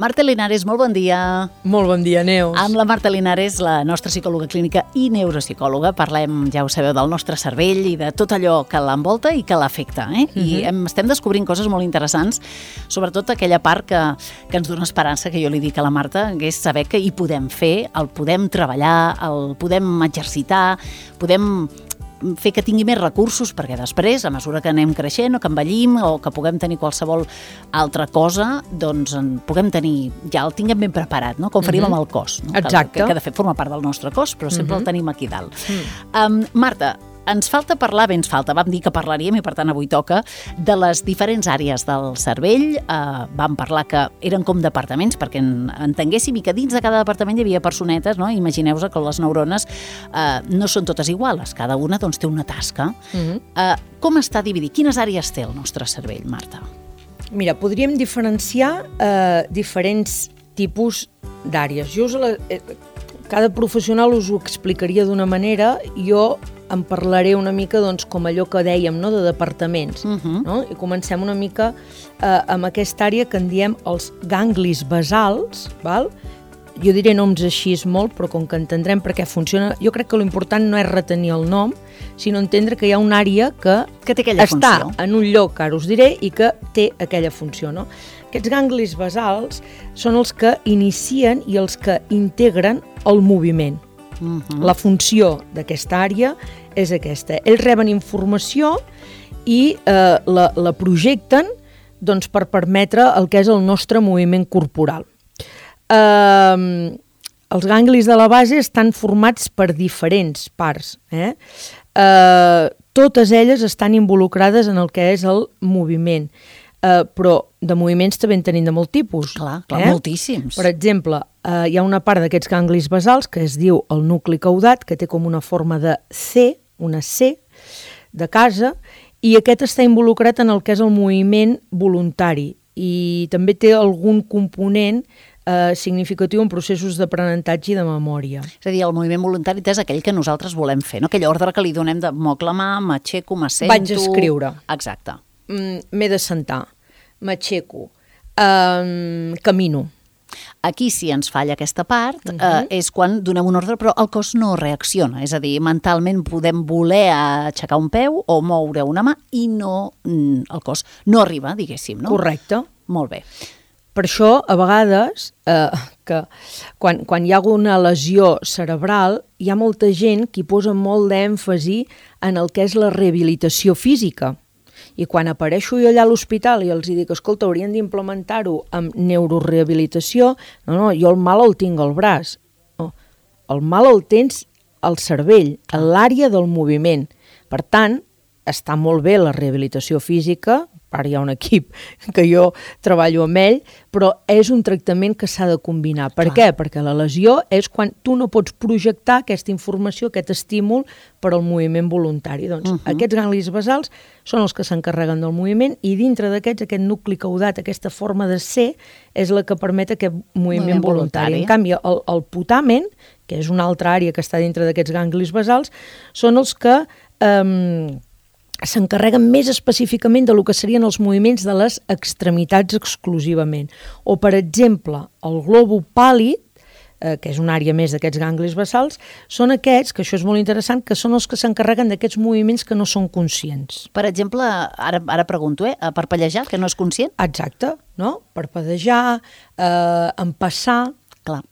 Marta Linares, molt bon dia. Molt bon dia, Neus. Amb la Marta Linares, la nostra psicòloga clínica i neuropsicòloga, parlem, ja ho sabeu, del nostre cervell i de tot allò que l'envolta i que l'afecta. I estem descobrint coses molt interessants, sobretot aquella part que ens dona esperança, que jo li dic a la Marta, que és saber que hi podem fer, el podem treballar, el podem exercitar, podem fer que tingui més recursos, perquè després, a mesura que anem creixent o que envellim o que puguem tenir qualsevol altra cosa, doncs en puguem tenir, ja el tinguem ben preparat, no? Com faríem amb el cos. No? Exacte. Que de fet forma part del nostre cos, però sempre el tenim aquí dalt. Marta, ens falta parlar, vam dir que parlaríem i per tant avui toca, de les diferents àrees del cervell. Vam parlar que eren com departaments perquè entenguéssim i que dins de cada departament hi havia personetes, no? Imagineu-vos que les neurones no són totes iguals, cada una doncs, té una tasca. Com està dividit? Quines àrees té el nostre cervell, Marta? Mira, podríem diferenciar diferents tipus d'àrees. Cada professional us ho explicaria d'una manera, jo en parlaré una mica doncs, com allò que dèiem, no? De departaments. No? I comencem una mica amb aquesta àrea que en diem els ganglis basals. Val? Jo diré noms així molt, però com que entendrem per què funciona, jo crec que l'important no és retenir el nom, sinó entendre que hi ha una àrea que té aquella està funció. En un lloc, ara us diré, i que té aquella funció. No? Aquests ganglis basals són els que inicien i els que integren el moviment. La funció d'aquesta àrea és aquesta. Ells reben informació i la projecten doncs, per permetre el que és el nostre moviment corporal. Els ganglis de la base estan formats per diferents parts. Totes elles estan involucrades en el que és el moviment. Però de moviments també en tenim de molt tipus. Clar, moltíssims. Per exemple, hi ha una part d'aquests ganglis basals que es diu el nucli caudat, que té com una forma de C, una C de casa, i aquest està involucrat en el que és el moviment voluntari i també té algun component significatiu en processos d'aprenentatge i de memòria. És a dir, el moviment voluntari és aquell que nosaltres volem fer, no? Aquell ordre que li donem de moc la mà, m'aixeco, m'assento... Vaig escriure. Exacte. M'he de sentar, m'aixeco, camino. Aquí sí ens falla aquesta part, és quan donem un ordre però el cos no reacciona, és a dir, mentalment podem voler aixecar un peu o moure una mà i no, el cos no arriba, diguéssim, no? Correcte. Molt bé. Per això, a vegades, que quan hi ha alguna lesió cerebral, hi ha molta gent que hi posa molt d'èmfasi en el que és la rehabilitació física. I quan apareixo jo allà a l'hospital i els dic, escolta, haurien d'implementar-ho amb neurorehabilitació, no, jo el mal el tinc al braç. No, el mal el tens al cervell, a l'àrea del moviment. Per tant, està molt bé la rehabilitació física, ara hi ha un equip que jo treballo amb ell, però és un tractament que s'ha de combinar. Per què? Perquè la lesió és quan tu no pots projectar aquesta informació, aquest estímul per al moviment voluntari. Doncs aquests ganglis basals són els que s'encarreguen del moviment i dintre d'aquests, aquest nucli caudat, aquesta forma de ser, és la que permet aquest moviment voluntari. En canvi, el putamen, que és una altra àrea que està dintre d'aquests ganglis basals, són els que s'encarreguen més específicament de lo que serien els moviments de les extremitats exclusivament. O, per exemple, el globo pàl·lid, que és una àrea més d'aquests ganglis basals, són aquests, que això és molt interessant, que són els que s'encarreguen d'aquests moviments que no són conscients. Per exemple, ara pregunto, parpellejar, que no és conscient? Exacte, no? Parpadejar, empassar. Clar.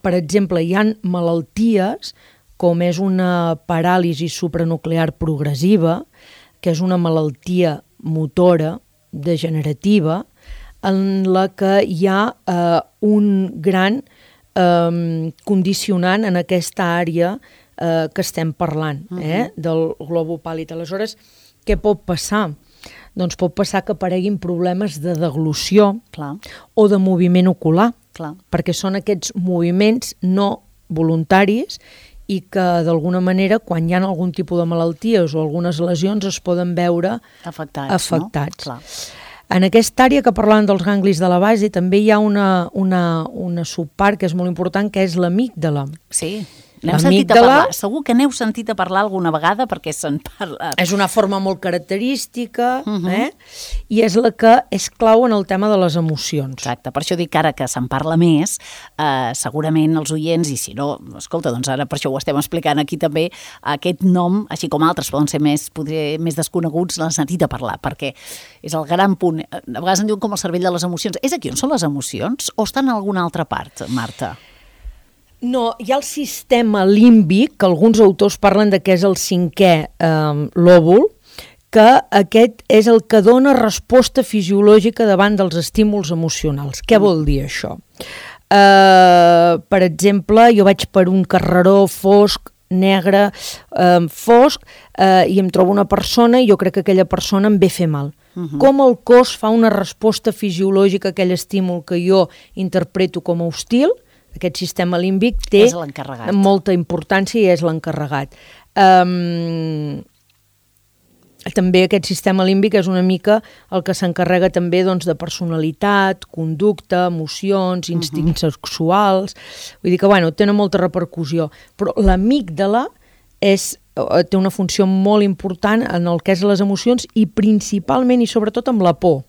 Per exemple, hi ha malalties com és una paràlisi supranuclear progressiva, que és una malaltia motora degenerativa, en la que hi ha un gran condicionant en aquesta àrea que estem parlant, del globo pàl·lid. Aleshores, què pot passar? Doncs pot passar que apareguin problemes de deglució o de moviment ocular, perquè són aquests moviments no voluntaris i que d'alguna manera quan hi ha algun tipus de malalties o algunes lesions es poden veure afectats. No? En aquesta àrea que parlàvem dels ganglis de la base també hi ha una subpart que és molt important, que és l'amígdala. Sí. N'hem sentit a parlar. Segur que n'heu sentit a parlar alguna vegada perquè se'n parla. És una forma molt característica i és la que és clau en el tema de les emocions. Exacte, per això dic que ara que se'n parla més, segurament els oients, i si no, escolta, doncs ara per això ho estem explicant aquí també, aquest nom, així com altres poden ser més desconeguts, l'han sentit a parlar, perquè és el gran punt. A vegades en diuen com el cervell de les emocions. És aquí on són les emocions o estan en alguna altra part, Marta? No, hi ha el sistema límbic, que alguns autors parlen de que és el 5è lòbul, que aquest és el que dona resposta fisiològica davant dels estímuls emocionals. Què vol dir això? Per exemple, jo vaig per un carreró fosc, negre, fosc, i em trobo una persona i jo crec que aquella persona em ve a fer mal. Com el cos fa una resposta fisiològica a aquell estímul que jo interpreto com a hostil, aquest sistema límbic té molta importància i és l'encarregat. També aquest sistema límbic és una mica el que s'encarrega també de personalitat, conducta, emocions, instints sexuals. Vull dir que tenen molta repercussió. Però l'amígdala té una funció molt important en el que és les emocions i principalment i sobretot amb la por.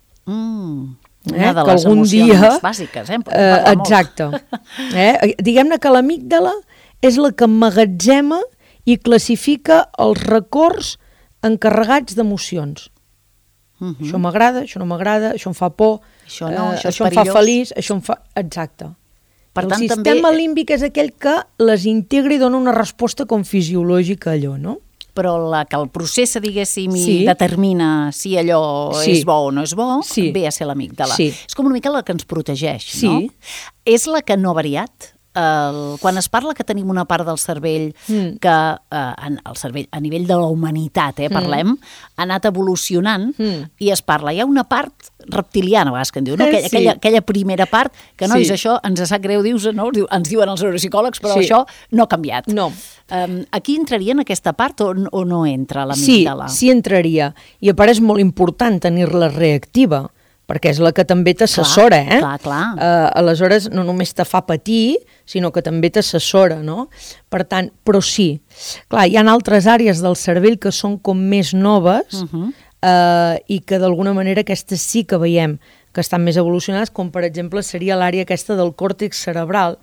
Una de les emocions bàsiques, exacte. Diguem-ne que l'amígdala és la que emmagatzema i classifica els records encarregats d'emocions. Això m'agrada, això no m'agrada, això em fa por, això em fa feliç, això em fa... Exacte. El sistema límbic és aquell que les integra i dona una resposta com fisiològica a allò, no? Però la que el processa, diguéssim, i determina si allò és bo o no és bo, ve a ser l'amígdala. És com una mica la que ens protegeix, no? És la que no ha variat? Quan es parla que tenim una part del cervell que, el cervell a nivell de la humanitat, parlem, ha anat evolucionant i es parla, hi ha una part reptiliana, a vegades que en diu, no? Aquella primera part, que nois, això ens sap greu, ens diuen els neuropsicòlegs, però això no ha canviat. No. Aquí entraria en aquesta part o no entra l'amígdala? Sí, entraria. I a part és molt important tenir-la reactiva, perquè és la que també t'assessora, Clar. Aleshores, no només te fa patir, sinó que també t'assessora, no? Per tant, però sí. Clar, hi ha altres àrees del cervell que són com més noves i que d'alguna manera aquestes sí que veiem que estan més evolucionades, com per exemple seria l'àrea aquesta del còrtex cerebral,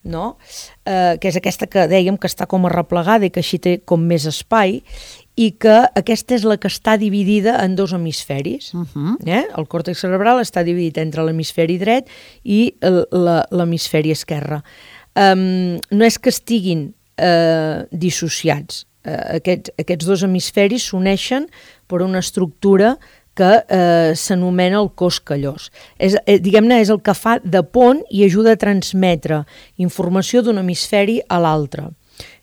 no? Que és aquesta que dèiem que està com arreplegada i que així té com més espai, i que aquesta és la que està dividida en dos hemisferis. El còrtex cerebral està dividit entre l'hemisferi dret i l'hemisferi esquerre. No és que estiguin dissociats. Aquests dos hemisferis s'uneixen per una estructura que s'anomena el cos callós. Diguem-ne, és el que fa de pont i ajuda a transmetre informació d'un hemisferi a l'altre.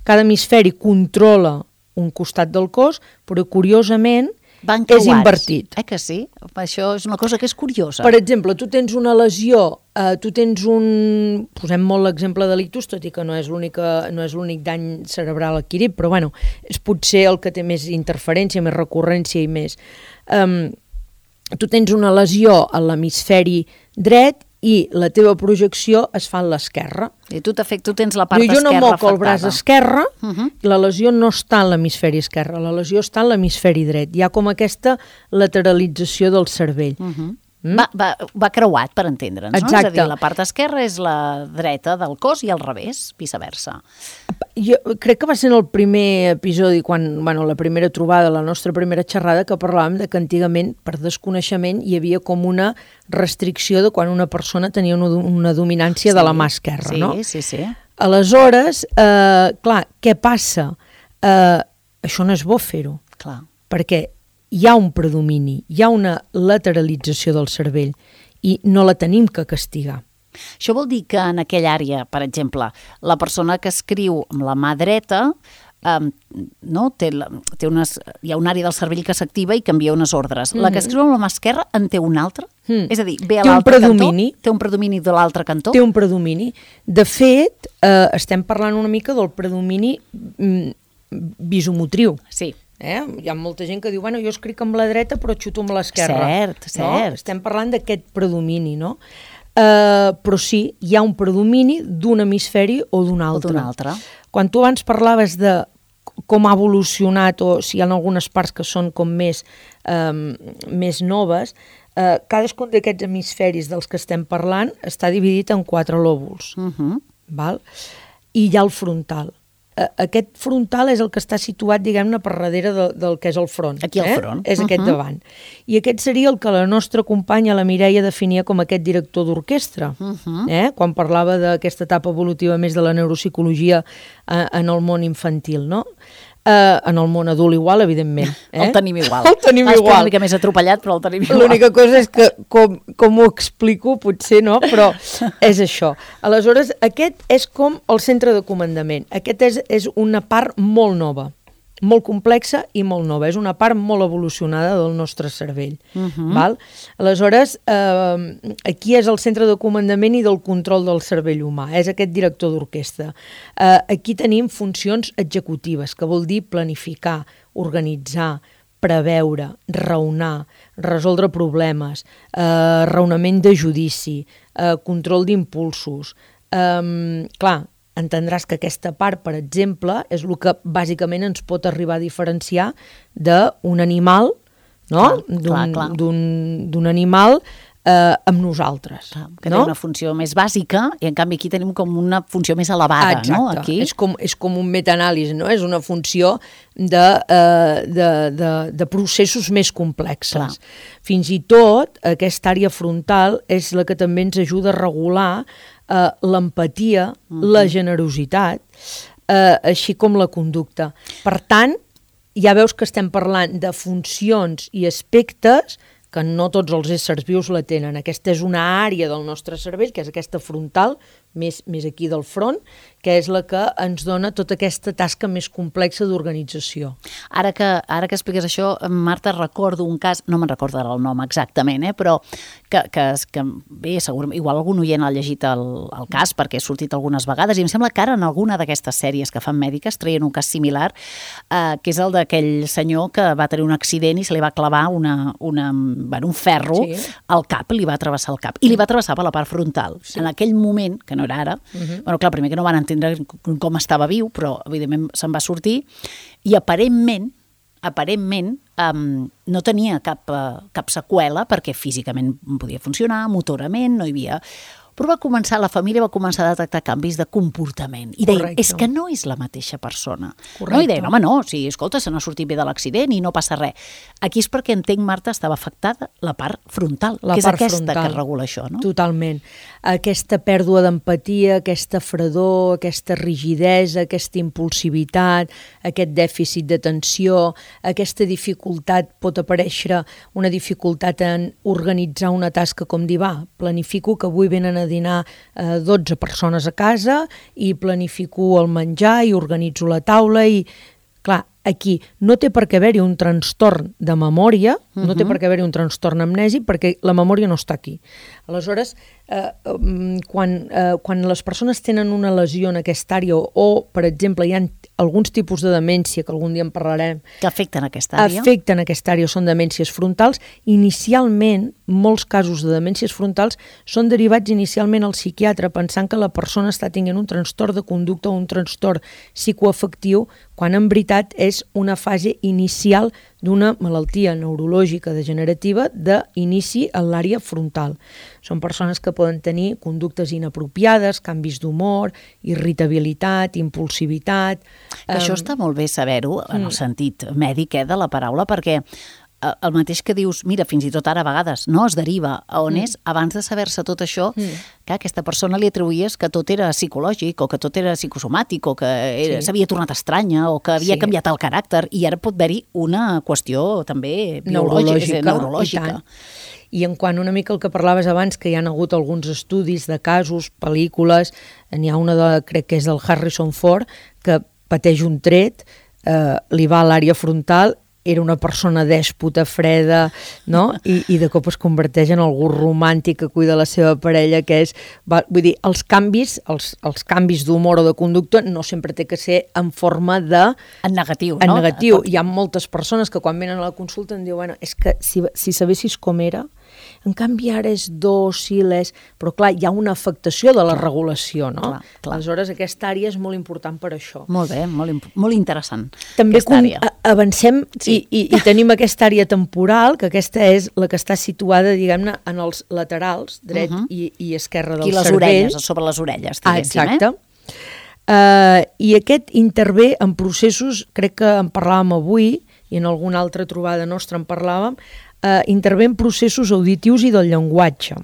Cada hemisferi controla un costat del cos, però curiosament és invertit. Que sí? Això és una cosa que és curiosa. Per exemple, tu tens una lesió, posem molt l'exemple de l'ictus, tot i que no és l'únic dany cerebral adquirit, però és potser el que té més interferència, més recurrència i més. Tu tens una lesió a l'hemisferi dret i la teva projecció es fa a l'esquerra. I tu tens la part esquerra afectada. Jo no moc el braç esquerre, la lesió no està en l'hemisferi esquerre, la lesió està en l'hemisferi dret. Hi ha com aquesta lateralització del cervell. Va creuat, per entendre'ns, no? Exacte. És a dir, la part esquerra és la dreta del cos i al revés, viceversa. Jo crec que va ser en el primer episodi, la primera trobada, la nostra primera xerrada, que parlàvem de que antigament, per desconeixement, hi havia com una restricció de quan una persona tenia una dominància de la mà esquerra, no? Sí. Aleshores, clar, què passa? Això no és bo fer-ho. Clar. Perquè hi ha un predomini, hi ha una lateralització del cervell i no la tenim que castigar. Això vol dir que en aquella àrea, per exemple, la persona que escriu amb la mà dreta, hi ha una àrea del cervell que s'activa i canvia unes ordres. La que escriu amb la mà esquerra en té una altra? És a dir, ve a l'altre cantó? Té un predomini de l'altre cantó? Té un predomini. De fet, estem parlant una mica del predomini visomotriu. Sí. Hi ha molta gent que diu, jo escric amb la dreta però xuto amb l'esquerra. Cert. Estem parlant d'aquest predomini, no? però sí, hi ha un predomini d'un hemisferi o d'un altre. Quan tu abans parlaves de com ha evolucionat, o si hi ha algunes parts que són com més noves, cadascun d'aquests hemisferis dels que estem parlant està dividit en 4 lòbuls. Val? I hi ha el frontal. Aquest frontal és el que està situat, diguem-ne, per darrere del que és el front. Aquí al front. És aquest davant. I aquest seria el que la nostra companya, la Mireia, definia com aquest director d'orquestra. Quan parlava d'aquesta etapa evolutiva més de la neuropsicologia en el món infantil, no? En el món adult igual, evidentment. El tenim igual. El tenim igual. Està una mica més atropellat, però el tenim igual. L'única cosa és que, com ho explico, potser no, però és això. Aleshores, aquest és com el centre de comandament. Aquest és una part molt nova, molt complexa i molt nova. És una part molt evolucionada del nostre cervell. Val? Aleshores, aquí és el centre de comandament i del control del cervell humà. És aquest director d'orquestra. Aquí tenim funcions executives, que vol dir planificar, organitzar, preveure, raonar, resoldre problemes, raonament de judici, control d'impulsos. Clar, entendràs que aquesta part, per exemple, és el que bàsicament ens pot arribar a diferenciar d'un animal, no? D'un animal amb nosaltres. Que té una funció més bàsica i en canvi aquí tenim com una funció més elevada. Exacte. No? Aquí. És com un metaanàlisi, no? És una funció de processos més complexes. Clar. Fins i tot aquesta àrea frontal és la que també ens ajuda a regular l'empatia, la generositat, així com la conducta. Per tant, ja veus que estem parlant de funcions i aspectes que no tots els éssers vius la tenen. Aquesta és una àrea del nostre cervell, que és aquesta frontal, més aquí del front, que és la que ens dona tota aquesta tasca més complexa d'organització. Ara que expliques això, Marta, recordo un cas, no me'n recordo ara el nom exactament, però que bé, segurament, igual algun oient ha llegit el cas perquè ha sortit algunes vegades, i em sembla que ara en alguna d'aquestes sèries que fan mèdiques treien un cas similar, que és el d'aquell senyor que va tenir un accident i se li va clavar un ferro al cap, li va travessar el cap, i li va travessar per la part frontal. Sí. En aquell moment, que no era ara, bueno, clar, primer que no van entendre com estava viu, però evidentment se'n va sortir, i aparentment no tenia cap seqüela perquè físicament podia funcionar, motorament, no hi havia... Però la família va començar a detectar canvis de comportament. I deien, és que no és la mateixa persona. Correcte. No? I deien, home, no, escolta, se n'ha sortit bé de l'accident i no passa res. Aquí és perquè entenc, Marta, estava afectada la part frontal, que és aquesta que regula això, no? Totalment. Aquesta pèrdua d'empatia, aquesta fredor, aquesta rigidesa, aquesta impulsivitat, aquest dèficit d'atenció, aquesta dificultat, pot aparèixer una dificultat en organitzar una tasca com dir, planifico que avui venen a dinar 12 persones a casa i planifico el menjar i organitzo la taula i, clar, aquí no té per què haver-hi un trastorn de memòria, no té per què haver-hi un trastorn amnèsic perquè la memòria no està aquí. Aleshores, quan les persones tenen una lesió en aquesta àrea o, per exemple, hi ha alguns tipus de demència, que algun dia en parlarem, que afecten aquesta àrea. Afecten aquesta àrea, són demències frontals. Inicialment, molts casos de demències frontals són derivats inicialment al psiquiatre pensant que la persona està tenint un trastorn de conducta o un trastorn psicoafectiu, quan en veritat és una fase inicial d'una malaltia neurològica degenerativa d'inici en l'àrea frontal. Són persones que poden tenir conductes inapropiades, canvis d'humor, irritabilitat, impulsivitat... Això està molt bé saber-ho en el sentit mèdic de la paraula, perquè el mateix que dius, mira, fins i tot ara a vegades no es deriva a on és, abans de saber-se tot això, que a aquesta persona li atribuïes que tot era psicològic o que tot era psicosomàtic o que s'havia tornat estranya o que havia canviat el caràcter, i ara pot haver-hi una qüestió també neurològica. I en quant una mica el que parlaves abans, que hi ha hagut alguns estudis de casos, pel·lícules, n'hi ha una crec que és del Harrison Ford, que pateix un tret, li va a l'àrea frontal, era una persona dèspota, freda, no? I de cop es converteix en algú romàntic que cuida la seva parella, que és... Vull dir, els canvis d'humor o de conducta no sempre té que ser en forma de... En negatiu, no? En negatiu. Hi ha moltes persones que quan venen a la consulta em diuen, és que si sabessis com era, En canvi, ara és dòcil, però clar, hi ha una afectació de la regulació, no? Clar. Aleshores, aquesta àrea és molt important per això. Molt bé, molt interessant. També avancem i tenim aquesta àrea temporal, que aquesta és la que està situada, diguem-ne, en els laterals, dret i esquerre del cervell. Aquí les orelles, sobre les orelles, diguéssim. Exacte. I aquest intervé en processos, crec que en parlàvem avui, i en alguna altra trobada nostra en parlàvem, intervé en processos auditius i del llenguatge.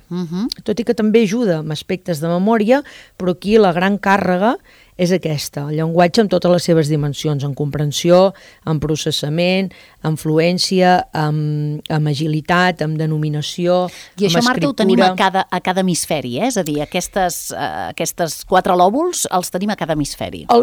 Tot i que també ajuda amb aspectes de memòria, però aquí la gran càrrega és aquesta, el llenguatge amb totes les seves dimensions, en comprensió, en processament, en fluència, en agilitat, en denominació, en escriptura. I això, Marta, ho tenim a cada hemisferi, és a dir, aquestes 4 lòbuls els tenim a cada hemisferi. El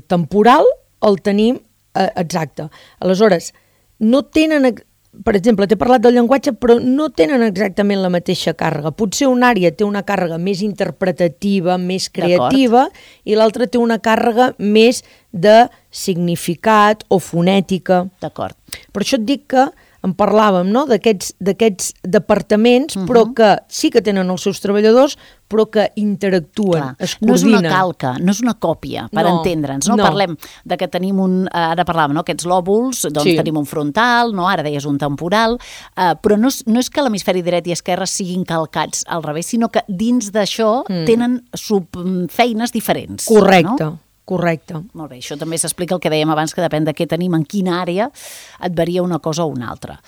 temporal el tenim exacte. Aleshores, no tenen... Per exemple, t'he parlat del llenguatge, però no tenen exactament la mateixa càrrega. Potser una àrea té una càrrega més interpretativa, més creativa, i l'altra té una càrrega més de significat o fonètica. D'acord. Per això et dic que en parlàvem, no?, d'aquests departaments, però que sí que tenen els seus treballadors, però que interactuen, es coordinen. No és una calca, no és una còpia, per entendre'ns. No? Parlem de que tenim ara parlàvem, no?, aquests lòbuls, doncs tenim un frontal, no? Ara deies un temporal, però no és que l'hemisferi dret i esquerre siguin calcats al revés, sinó que dins d'això tenen subfeines diferents. Correcte. No? Correcte. Molt bé, això també s'explica el que dèiem abans, que depèn de què tenim, en quina àrea et varia una cosa o una altra.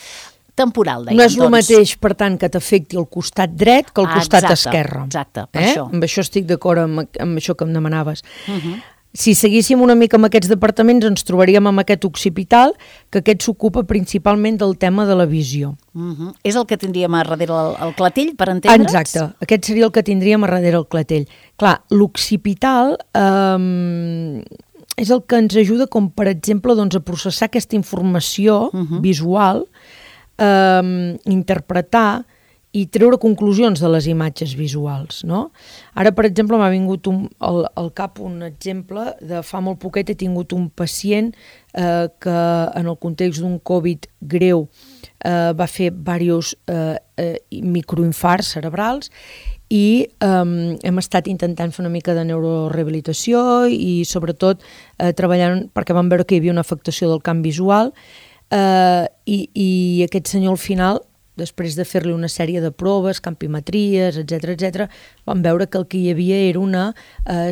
Temporal, dèiem, no és el mateix, per tant, que t'afecti el costat dret que el costat esquerre. Exacte, per això. Amb això estic d'acord amb això que em demanaves. Si seguíssim una mica amb aquests departaments, ens trobaríem amb aquest occipital, que aquest s'ocupa principalment del tema de la visió. És el que tindríem a darrere el clatell, per entendre'ns? Exacte, aquest seria el que tindríem a darrere el clatell. Clar, l'occipital és el que ens ajuda, com per exemple, doncs, a processar aquesta informació visual, interpretar i treure conclusions de les imatges visuals, no? Ara, per exemple, m'ha vingut al cap un exemple de fa molt poquet he tingut un pacient que en el context d'un Covid greu va fer diversos microinfarts cerebrals i hem estat intentant fer una mica de neurorehabilitació i sobretot treballant perquè vam veure que hi havia una afectació del camp visual i aquest senyor al final, després de fer-li una sèrie de proves, campimetries, etc., vam veure que el que hi havia era una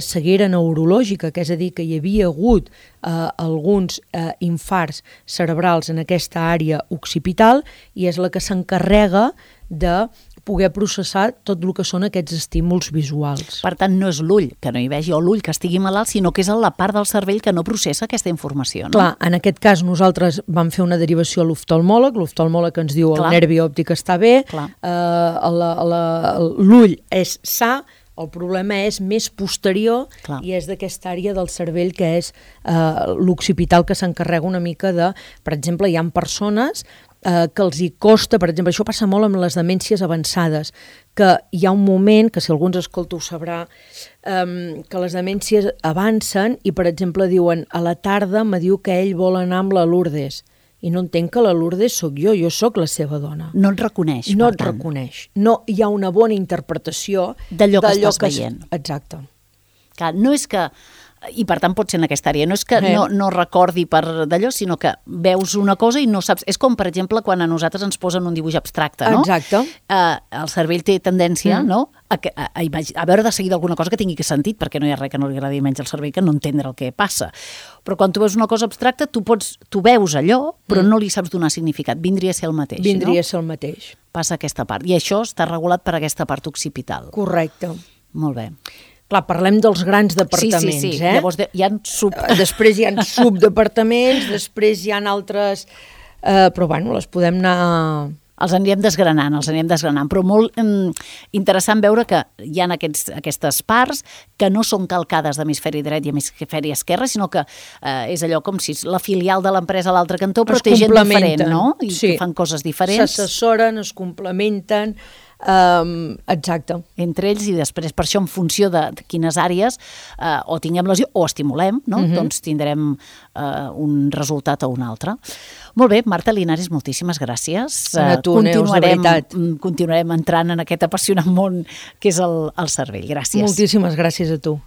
ceguera neurològica, que és a dir, que hi havia hagut alguns infarts cerebrals en aquesta àrea occipital i és la que s'encarrega de poder processar tot el que són aquests estímuls visuals. Per tant, no és l'ull que no hi vegi o l'ull que estigui malalt, sinó que és la part del cervell que no processa aquesta informació. No? Clar, en aquest cas nosaltres vam fer una derivació a l'oftalmòleg ens diu el nervi òptic està bé, l'ull és sa, el problema és més posterior i és d'aquesta àrea del cervell que és l'occipital que s'encarrega una mica de... Per exemple, hi ha persones que els hi costa, per exemple, això passa molt amb les demències avançades, que hi ha un moment, que si algú ens escolta ho sabrà, que les demències avancen i, per exemple, diuen a la tarda me diu que ell vol anar amb la Lourdes i no entenc que la Lourdes sóc jo sóc la seva dona. No et reconeix, no et reconeix. No hi ha una bona interpretació d'allò que estàs veient. Exacte. Clar, no és que... I per tant pot ser en aquesta àrea, no és que no recordi per d'allò, sinó que veus una cosa i no saps, és com per exemple quan a nosaltres ens posen un dibuix abstracte, no? Exacte. El cervell té tendència no? a veure de seguida alguna cosa que tingui sentit, perquè no hi ha res que no li agradi menys al cervell que no entendre el que passa, però quan tu veus una cosa abstracta tu veus allò però no li saps donar significat, vindria a ser el mateix. Vindria a ser el mateix. Passa aquesta part, i això està regulat per aquesta part occipital. Correcte. Molt bé. Clar, parlem dels grans departaments, sí. Llavors hi ha després hi ha subdepartaments, després hi ha altres... però bueno, les podem anar... Els anirem desgranant, però molt interessant veure que hi ha aquestes parts que no són calcades d'hemisferi dret i hemisferi esquerre, sinó que és allò com si la filial de l'empresa a l'altre cantó, però té gent diferent, no? I que fan coses diferents. S'assessoren, es complementen... Exacte. Entre ells, i després per això en funció de quines àrees o tinguem lesió o estimulem, no? Doncs tindrem un resultat o un altre. Molt bé, Marta Linares, moltíssimes gràcies. A tu, Neus, de veritat. Continuarem entrant en aquest apassionant món que és el cervell. Gràcies. Moltíssimes gràcies a tu.